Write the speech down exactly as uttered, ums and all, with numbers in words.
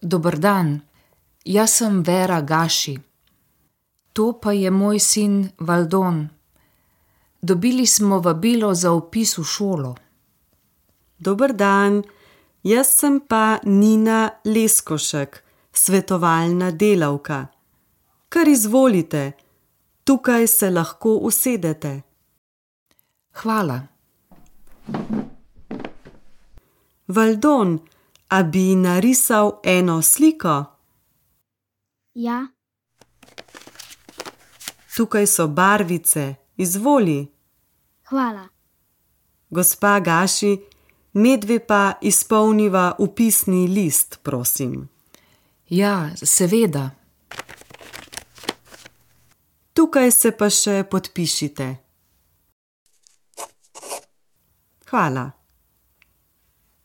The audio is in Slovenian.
Dober dan, jaz sem Vera Gaši. To pa je moj sin Valdon. Dobili smo vabilo za vpis v šolo. Dober dan, jaz sem pa Nina Leskošek, svetovalna delavka. Kar izvolite, tukaj se lahko usedete. Hvala. Valdon, a bi narisal eno sliko? Ja. Tukaj so barvice, izvoli. Hvala. Gospa Gaši, medve pa izpolniva vpisni list, prosim. Ja, seveda. Tukaj se pa še podpišite. Hvala.